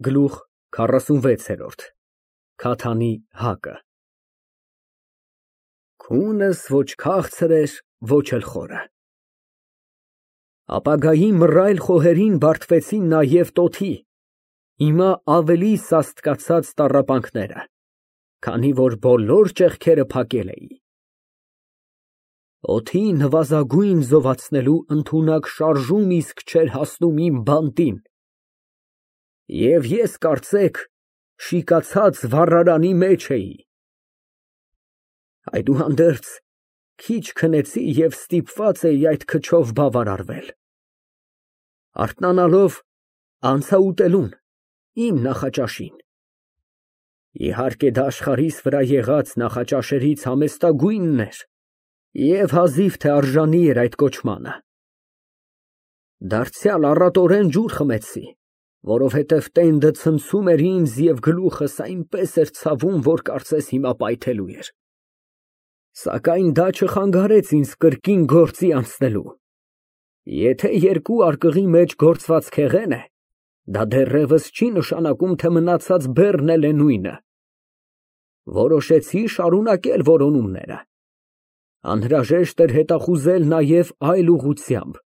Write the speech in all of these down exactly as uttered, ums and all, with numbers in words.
Գլուխ քառասունվեց։ Քաթանի հակը Քունս ոչ քաղցր էր, ոչ էլ խորը։ Ապագայի մռայլ խոհերին բարդվեցին նաև տոթի, հիմա ավելի սաստկացած տառապանքները, քանի որ բոլոր ճեղքերը փակել էի։ Օդի նվազագույն զովացնելու ընդունակ շարժում իսկ չէր հասնում իմ բանտին, և ես կարծեք շիկացած վառարանի մեջ էի։ Այդուհանդերձ քիչ քնեցի և ստիպված էի այդ քչով բավարարվել։ Արթնանալով, անցա ուտելուն, իմ նախաճաշին։ Իհարկե դա աշխարհիս վրա եղած նախաճաշերից համեստագույնն էր և հազիվ թե արժանի էր այդ կոչմանը։ Դարձյալ առատորեն ջուր խմեցի, որովհետև տենդը ցնցում էր ինձ և գլուխս այնպես էր ցավում, որ կարծես հիմա պայթելու էր։ Սակայն դա չխանգարեց ինձ կրկին գործի անցնելու։ Եթե երկու արկղի մեջ գործված քեղեն է, դա դեռևս չի նշանակում, թե մնացած բեռն էլ է նույնը։ Որոշեցի շարունակել որոնումները։ Անհրաժեշտ էր հետախուզել նաև այլ ուղղությամբ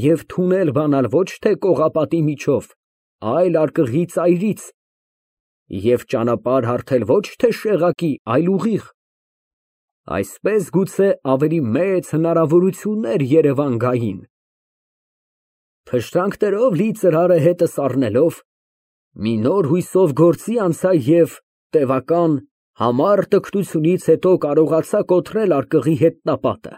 և թունել բանալ ոչ թե կողապատի միջով, այլ արկղի ծայրից, և ճանապարհ հարթել ոչ թե շեղակի, այլ ուղիղ։ Այսպես գուցե ավելի մեծ հնարավորություններ Երևան գային։ Փշրանքներով լի ծրարը հետս առնելով, մի նոր հույսով գործի անցա և տևական, համառ տքնությունից հետո կարողացա կոտրել արկղի հետնապատը։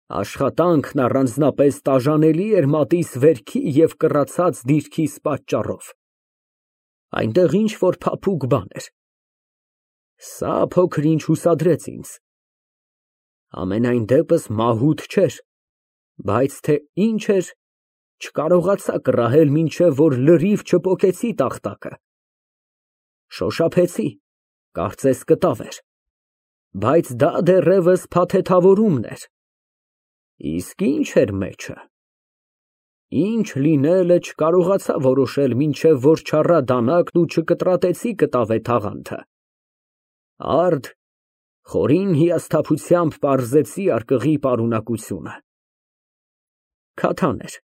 Աշխատանքն առանձնապես տաժանելի էր մատիս վերքի և կռացած դիրքիս պատճառով։ Այնտեղ ինչ֊որ փափուկ բան էր։ Սա փոքր֊ինչ հուսադրեց ինձ։ Համենայն դեպս մահութ չէր, բայց թե ինչ էր, չկարողացա կռահել, մինչև որ լրիվ չպոկեցի տախտակը։ Շոշափեցի, կարծես կտավ էր, բայց դա դեռևս փաթեթավորումն էր։ Իսկ ի՞նչ էր մեջը։ Ինչ լինելը չկարողացա որոշել, մինչև որ չառա դանակն ու չկտրատեցի կտավե թաղանթը։ Արդ խորին հիասթափությամբ պարզեցի արկղի պարունակությունը։ Քաթան էր,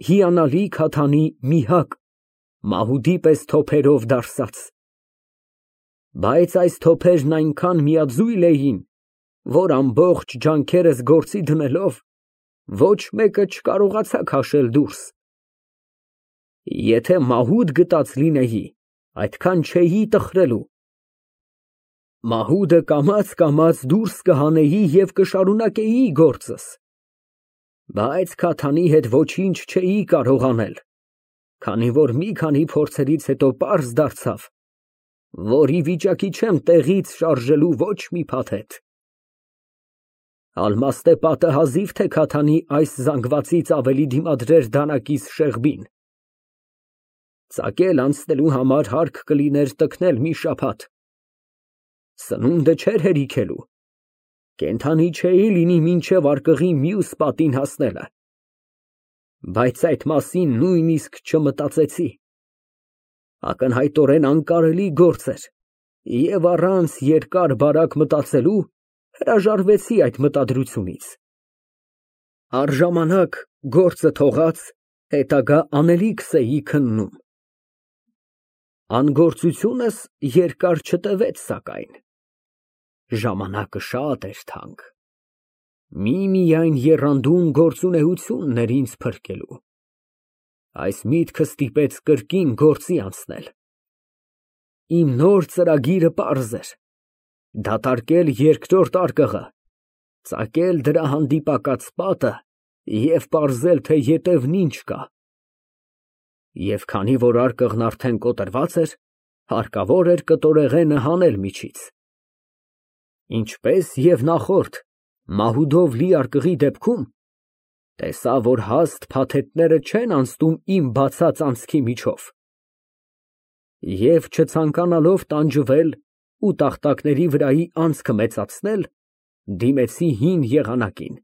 հիանալի քաթանի մի հակ, մահուդի պես թոփերով դարսած։ Բայց այս թոփերն այնքան միաձույլ էին, որ ամբողջ ջանքերս գործի դնելով, ոչ մեկը չկարողացա քաշել դուրս։ Եթե մահուդ գտած լինեի, այդքան չէի տխրելու։ Մահուդը կամաց֊կամաց դուրս կհանեի և կշարունակեի գործս։ Բայց քաթանի հետ ոչինչ չէի կարող անել, քանի որ մի քանի փորձերից հետո պարզ դարձավ, որ ի վիճակի չեմ տեղից շարժելու ոչ մի փաթեթ։ Ալմաստե պատը հազիվ թե քաթանի այս զանգվածից ավելի դիմադրեր դանակիս շեղբին։ Ծակել անցնելու համար հարկ կլիներ տքնել մի շաբաթ։ Սնունդը չէր հերիքելու, կենդանի չէի լինի մինչև արկղի մյուս պատին հասնելը։ Բայց այդ մասին նույնիսկ չմտածեցի։ Ակնհայտորեն անկարելի գործ էր, և առանց երկար֊բարակ մտածելու հրաժարվեցի այդ մտադրությունից։ Առժամանակ գործը թողած, հետագա անելիքս էի քննում։ Անգործությունս երկար չտևեց սակայն։ Ժամանակը շատ էր թանկ։ Միմիայն եռանդուն գործունեությունն էր ինձ փրկելու։ Այս միտքը ստիպեց կրկին գործի անցնել։ Իմ նոր ծրագիրը պարզ էր. դատարկել երկրորդ արկղը, ծակել դրա հանդիպակաց պատը և պարզել, թե ետևն ինչ կա։ Եվ քանի որ արկղն արդեն կոտրված էր, հարկավոր էր կտորեղենը հանել միջից։ Ինչպես և նախորդ, մահուդով լի արկղի դեպքում, տեսա, որ հաստ փաթեթները չեն անցնում իմ բացած անցքի միջով։ Եվ չցանկանալով տանջվել ու տախտակների վրայի անցքը մեծացնել, դիմեցի հին եղանակին.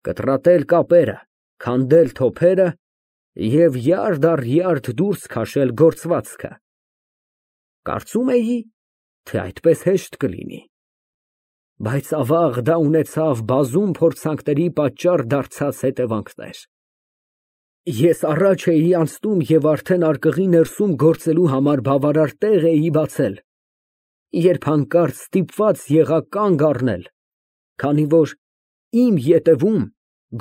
կտրատել կապերը, քանդել թոփերը և յարդ առ յարդ դուրս քաշել գործվածքը։ Կարծում էի, թե այդպես հեշտ կլինի, բայց ավաղ դա ունեցավ բազում փորձանքների պատճառ դարձած հետևանքներ։ Ես առաջ էի անցնում և արդեն արկղի ներսում գործելու համար բավարար տեղ էի բացել, երբ հանկարծ ստիպված եղա կանգ առնել, քանի որ իմ ետևում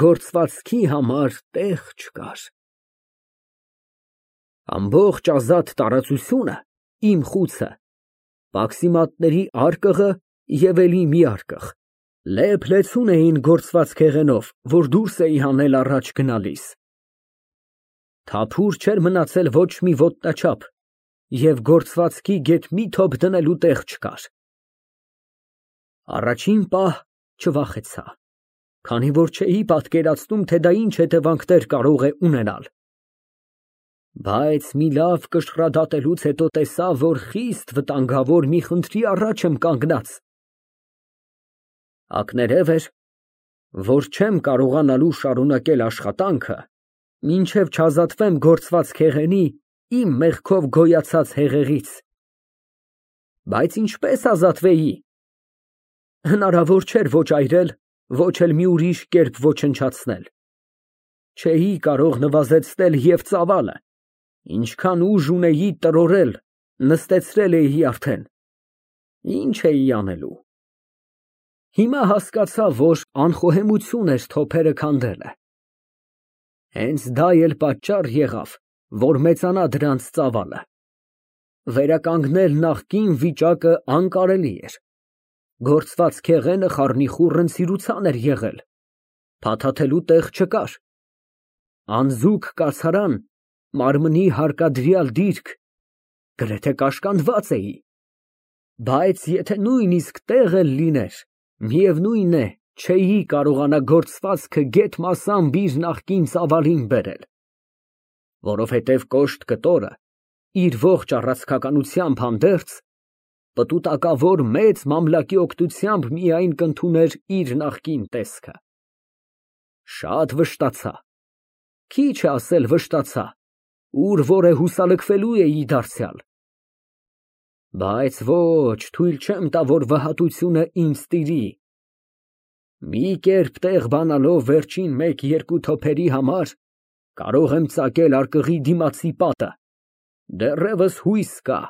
գործվածքի համար տեղ չկար։ Ամբողջ ազատ տարածությունը, իմ խուցը, պաքսիմատների արկղը և էլի մի արկղ, լեփ֊լեցուն էին գործված֊քեղենով, որ դուրս էի հանել առաջ գնալիս։ Թափուր չէր մնացել ոչ մի ոտնաչափ և գործվածքի գեթ մի թոփ դնելու տեղ չկար։ Առաջին պահ չվախեցա, քանի որ չէի պատկերացնում, թե դա ինչ հետևանքներ կարող է ունենալ։ Բայց մի լավ կշռադատելուց հետո տեսա, որ խիստ վտանգավոր մի խնդրի առաջ եմ կանգնած։ Ակներև էր, որ չեմ կարողանալու շարունակել աշխատանքը, մինչև չազատվեմ գործված֊քեղենի իմ մեղքով գոյացած հեղեղից։ Բայց ինչպե՞ս ազատվեի։ Հնարավոր չէր ոչ այրել, ոչ էլ մի ուրիշ կերպ ոչնչացնել։ Չէի կարող նվազեցնել և ծավալը, ինչքան ուժ ունեի տրորել, նստեցրել էի արդեն։ Ինչ էի անելու։ Հիմա հասկացա, որ անխոհեմություն էր թոփերը քանդելը։ Հենց դա էլ պատճառ եղավ, որ մեծանա դրանց ծավալը։ Վերականգնել նախկին վիճակը անկարելի էր։ Գործված֊քեղենը խառնիխուռն էր եղել, փաթաթելու տեղ չկար։ Անձուկ կացարան, մարմնի հարկադրյալ դիրք, գրեթե կաշկանդված էի։ Բայց եթե նույնիսկ տեղ էլ լիներ, միևնույն է, չէի կարողանա գործվածքը գեթ մասամբ իր նախկին ծավալին բերել, որովհետև կոշտ կտորը իր ողջ առաձգականությամբ հանդերձ, պտուտակավոր մեծ մամլակի օգնությամբ միայն կընդուներ իր նախկին տեսքը։ Շատ վշտացա, քիչ է ասել վշտացա, ուր որ է հուսալքվելու էի դարձյալ։ Բայց ոչ, թույլ չեմ տա, որ վհատությունը ինձ տիրի։ Մի կերպ տեղ բանալով վերջին մեկ֊երկու թոփերի համար կարող եմ ծակել արկղի դիմացի պատը, դեռևս հույս կա։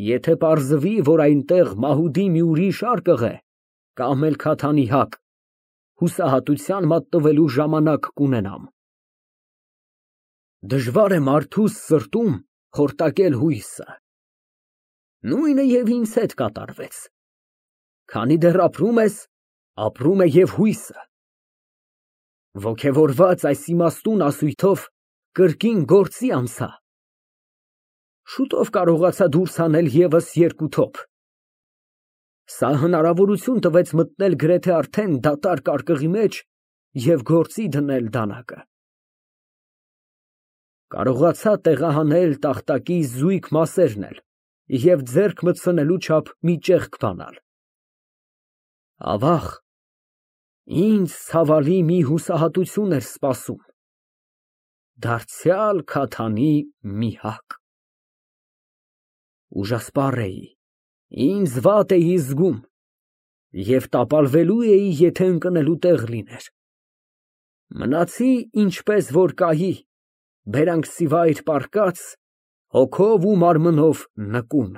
Եթե պարզվի, որ այնտեղ մահուդի մի ուրիշ արկղ է, կամ էլ քաթանի հակ, հուսահատության մատնվելու ժամանակ կունենամ։ Դժվար է մարդուս սրտում խորտակել հույսը։ Նույնը և ինձ հետ կատարվեց։ Քանի դեռ ապրում ես, ապրում է և հույսը։ Ոգևորված այս իմաստուն ասույթով կրկին գործի անցա։ Շուտով կարողացա դուրս հանել ևս երկու թոփ։ Սա հնարավորություն տվեց մտնել գրեթե արդեն դատարկ արկղի մեջ և գործի դնել դանակը։ Կարողացա տեղահանել տախտակի զույգ մասերն էլ և ձեռք մտցնելու չափ մի ճեղք բանալ։ Ավաղ, ինձ ցավալի մի հուսահատություն էր սպասում, դարձյալ քաթանի մի հակ։ Ուժասպառ էի, ինձ վատ էի զգում և տապալվելու էի, եթե ընկնելու տեղ լիներ։ Մնացի ինչպես որ կայի, բերանքսիվայր պառկած, հոգով ու մարմնով նկուն։